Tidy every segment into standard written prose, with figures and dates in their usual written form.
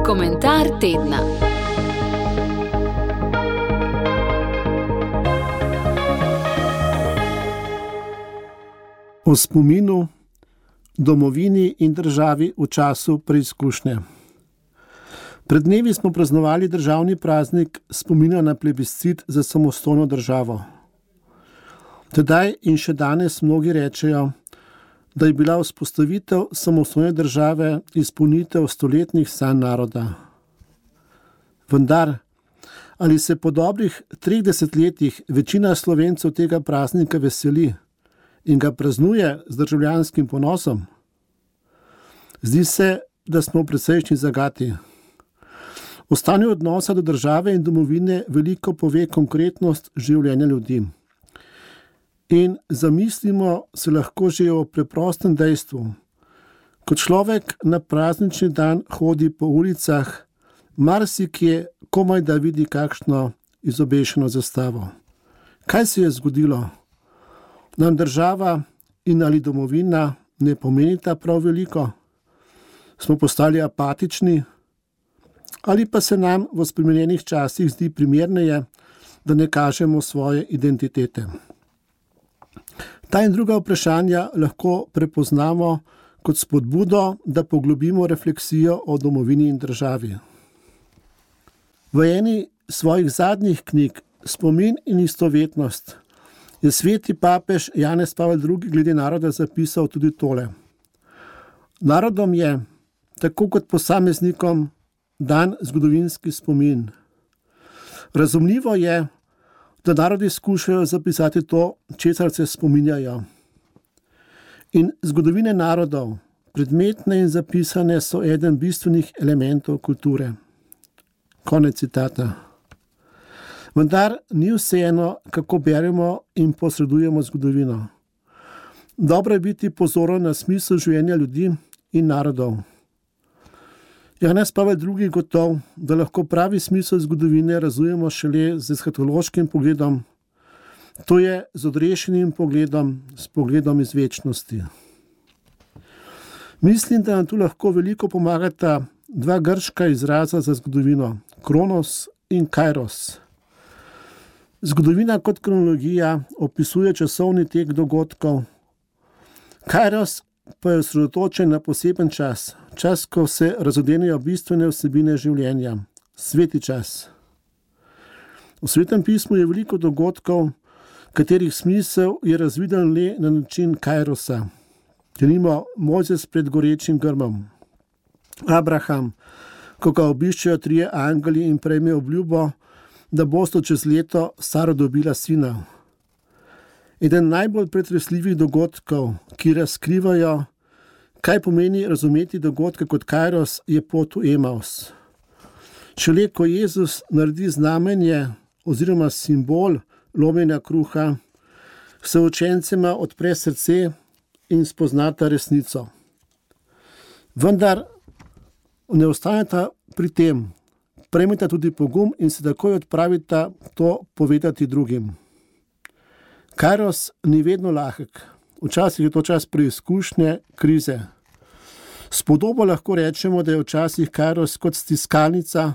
Komentar tedna. O spominu, domovini in državi v času preizkušnje. Pred dnevi smo praznovali državni praznik spomina na plebiscit za samostojno državo. Tedaj in še danes mnogi rečejo, da je bila vzpostavitev samostojne države izpolnitev stoletnih sanj naroda. Vendar, ali se po dobrih 30 letih večina Slovencev tega praznika veseli in ga praznuje z državljanskim ponosom? Zdi se, da smo v precejšnji zagati. O stanju odnosa do države in domovine veliko pove konkretnost življenja ljudi. In zamislimo se lahko že o preprostem dejstvu. Ko človek na praznični dan hodi po ulicah, marsikje komaj da vidi kakšno izobešeno zastavo. Kaj se je zgodilo? Nam država in ali domovina ne pomenita prav veliko? Smo postali apatični? Ali pa se nam v spremenjenih časih zdi primerneje, da ne kažemo svoje identitete? Ta in druga vprašanja lahko prepoznamo kot spodbudo, da poglobimo refleksijo o domovini in državi. V eni svojih zadnjih knjig Spomin in istovetnost je sveti papež Janez Pavel II. Glede naroda zapisal tudi tole. Narodom je, tako kot posameznikom, dan zgodovinski spomin. Razumljivo je, da narodi skušajo zapisati to, česar se spominjajo. In zgodovine narodov, predmetne in zapisane, so eden bistvenih elementov kulture. Konec citata. Vendar ni vseeno, kako beremo in posredujemo zgodovino. Dobro je biti pozoren na smisel življenja ljudi in narodov. Janez Pavel II. Gotov, da lahko pravi smisel zgodovine razumemo šele z eshatološkim pogledom, to je z odrešenim pogledom, s pogledom iz večnosti. Mislim, da nam tu lahko veliko pomagata dva grška izraza za zgodovino, kronos in kairos. Zgodovina kot kronologija opisuje časovni tek dogodkov, kairos pa je osredotočen na poseben čas, čas, ko se razodenejo bistvene vsebine življenja, sveti čas. V Svetem pismu je veliko dogodkov, katerih smisel je razviden le na način kairosa. Denimo Mojzes pred gorečim grmom, Abraham, ko ga obiščejo trije angeli in prejme obljubo, da bosta čez leto Sara dobila sina. Eden najbolj pretresljivih dogodkov, ki razkrivajo, kaj pomeni razumeti dogodke kot kairos, je pot v Emaus. Šele ko Jezus naredi znamenje oziroma simbol lomljenja kruha, se učencema odpre srce in spoznata resnico. Vendar ne ostaneta pri tem, prejmeta tudi pogum in se takoj odpravita to povedati drugim. Kairos ni vedno lahek, včasih je to čas preizkušnje, krize. Spodobo lahko rečemo, da je včasih kairos kot stiskalnica,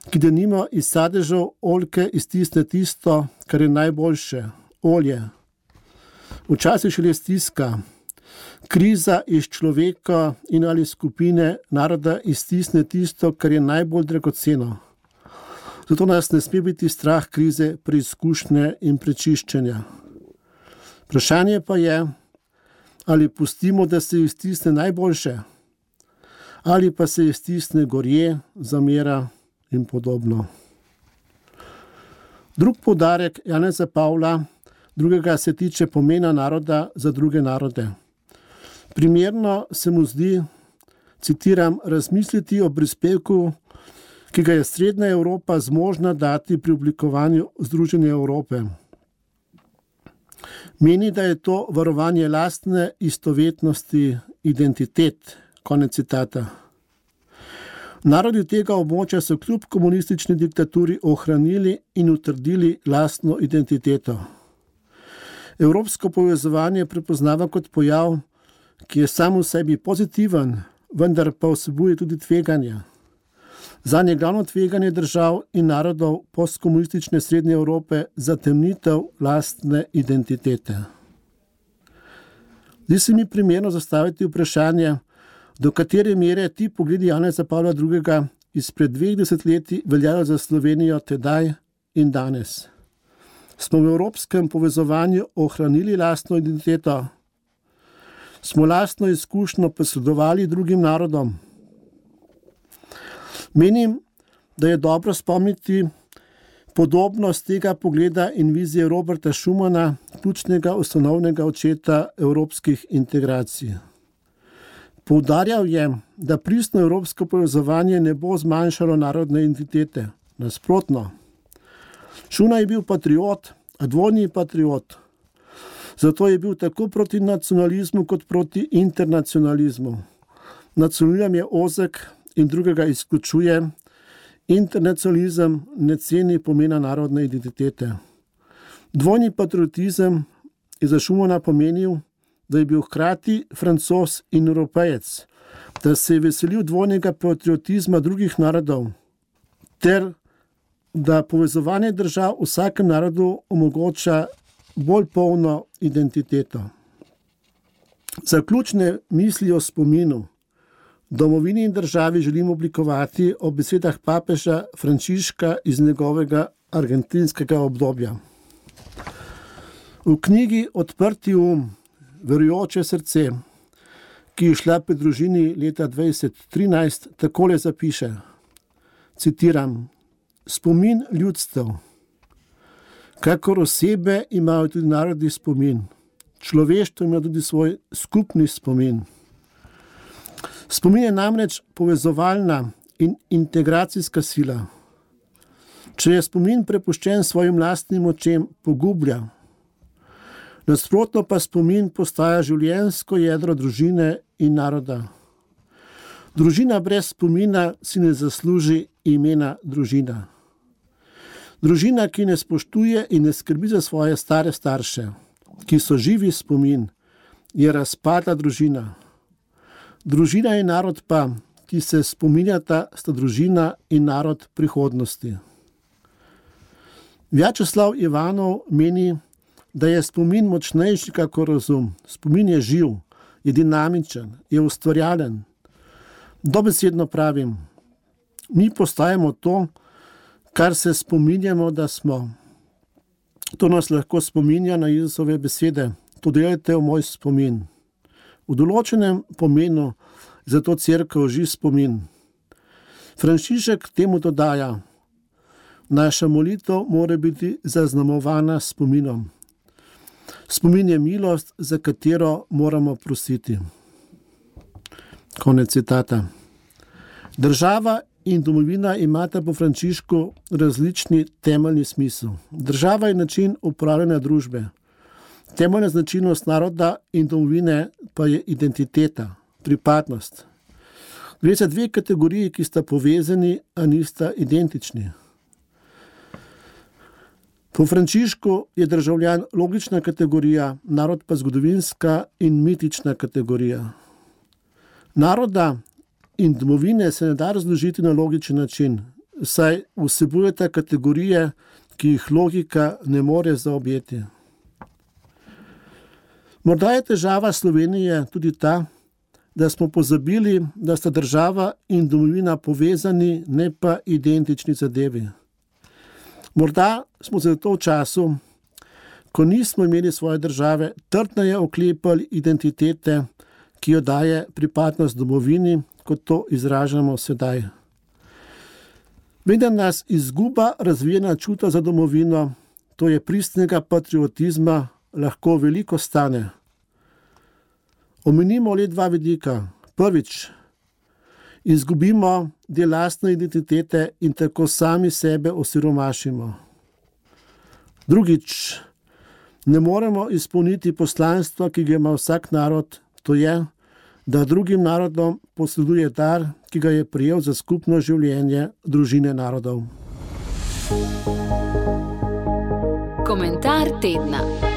ki denimo iz sadežev oljke iztisne tisto, kar je najboljše, olje. Včasih šele stiska, kriza iz človeka in ali skupine naroda iztisne tisto, kar je najbolj dragoceno. Zato nas ne sme biti strah krize, preizkušnje in prečiščenja. Vprašanje pa je, ali pustimo, da se iztisne najboljše, ali pa se iztisne gorje, zamera in podobno. Drug poudarek Janeza Pavla II. Se tiče pomena naroda za druge narode. Primerno se mu zdi, citiram, razmisliti o prispevku, ki ga je Srednja Evropa zmožna dati pri oblikovanju Združene Evrope. Meni, da je to varovanje lastne istovetnosti, identitet, konec citata. Narodi tega območja so kljub komunistični diktaturi ohranili in utrdili lastno identiteto. Evropsko povezovanje prepoznava kot pojav, ki je sam v sebi pozitiven, vendar pa vsebuje tudi tveganja. Zanje glavno tveganje držav in narodov postkomunistične Srednje Evrope zatemnitev lastne identitete. Zdi se mi primerno zastaviti vprašanje, do katere mere ti pogledi Janeza Pavla II. Izpred 2 desetletij veljajo za Slovenijo tedaj in danes. Smo v evropskem povezovanju ohranili lastno identiteto? Smo lastno izkušnjo posredovali drugim narodom? Menim, da je dobro spomniti podobnost tega pogleda in vizije Roberta Schumana, ključnega ustanovnega očeta evropskih integracij. Poudarjal je, da pristno evropsko povezovanje ne bo zmanjšalo narodne identitete. Nasprotno. Schuman je bil patriot, a dvojni patriot. Zato je bil tako proti nacionalizmu kot proti internacionalizmu. Nacionalizem je ozek in drugega izključuje. Internacionalizem ne ceni pomena narodne identitete. Dvojni patriotizem je za Schumana pomenil, da je bil hkrati Francoz in Evropejec, da se je veselil dvojnega patriotizma drugih narodov, ter da povezovanje držav vsakem narodu omogoča bolj polno identiteto. Zaključne misli o spominu, domovini in državi želim oblikovati ob besedah papeža Frančiška iz njegovega argentinskega obdobja. V knjigi Odprti verujoče srce, ki je šla pri družini leta 2013, takole zapiše, citiram, spomin ljudstev. Kakor osebe imajo tudi narodi spomin. Človeštvo ima tudi svoj skupni spomin. Spomin je namreč povezovalna in integracijska sila. Če je spomin prepuščen svojim lastnim močem, pogublja. Nasprotno pa spomin postaja življenjsko jedro družine in naroda. Družina brez spomina si ne zasluži imena družina. Družina, ki ne spoštuje in ne skrbi za svoje stare starše, ki so živi spomin, je razpadla družina. Družina in narod pa, ki se spominjata, sta družina in narod prihodnosti. Vjačeslav Ivanov meni, da je spomin močnejši kakor razum. Spomin je živ, je dinamičen, je ustvarjalen. Dobesedno pravim, mi postajamo to, kar se spominjamo, da smo. To nas lahko spominja na Jezusove besede. To delajte v moj spomin. V določenem pomenu je zato cerkev živ spomin. Frančišek temu dodaja, naša molitev mora biti zaznamovana spominom. Spomin je milost, za katero moramo prositi. Konec citata. Država in domovina imata po Frančišku različni temeljni smisel. Država je način upravljanja družbe. Temeljna značilnost naroda in domovine pa je identiteta, pripadnost. Gre za dve kategoriji, ki sta povezani, a nista identični. Po Frančišku je državljan logična kategorija, narod pa zgodovinska in mitična kategorija. Naroda in domovine se ne da razložiti na logičen način, saj vsebujeta kategorije, ki jih logika ne more zaobjeti. Morda je težava Slovenije tudi ta, da smo pozabili, da sta država in domovina povezani, ne pa identični zadevi. Morda smo zato v času, ko nismo imeli svoje države, trdneje oklepali identitete, ki jo daje pripadnost domovini, kot to izražamo sedaj. Vendar nas izguba razvijena čuta za domovino, to je pristnega patriotizma, lahko veliko stane. Omenimo le dva vidika. Prvič, izgubimo del lastne identitete in tako sami sebe osiromašimo. Drugič, ne moremo izpolniti poslanstva, ki ga ima vsak narod, to je, da drugim narodom posreduje dar, ki ga je prejel za skupno življenje družine narodov. Komentar tedna.